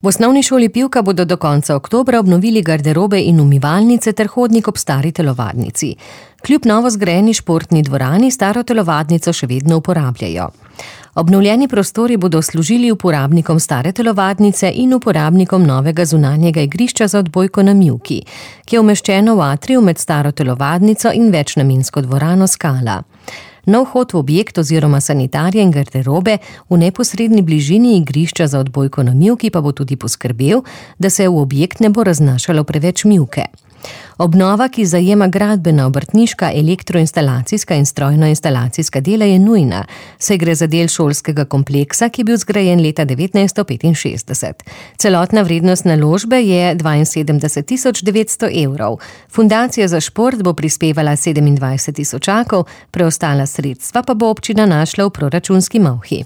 V osnovni šoli Pivka bodo do konca oktobra obnovili garderobe in umivalnice ter hodnik ob stari telovadnici. Kljub novo zgrajeni športni dvorani staro telovadnico še vedno uporabljajo. Obnovljeni prostori bodo služili uporabnikom stare telovadnice in uporabnikom novega zunanjega igrišča za odbojko na mivki, ki je umeščeno v atriju med staro telovadnico in večnamensko dvorano Skala. Nov vhod v objekt oziroma sanitarije in garderobe v neposredni bližini igrišča za odbojko na mivki pa bo tudi poskrbel, da se v objekt ne bo raznašalo preveč mivke. Obnova, ki zajema gradbena, obrtniška, elektroinstalacijska in strojno-instalacijska dela, je nujna, saj gre za del šolskega kompleksa, ki je bil zgrajen leta 1965. Celotna vrednost naložbe je 72.900 evrov. Fundacija za šport bo prispevala 27 tisočakov, preostala sredstva pa bo občina našla v proračunski malhi.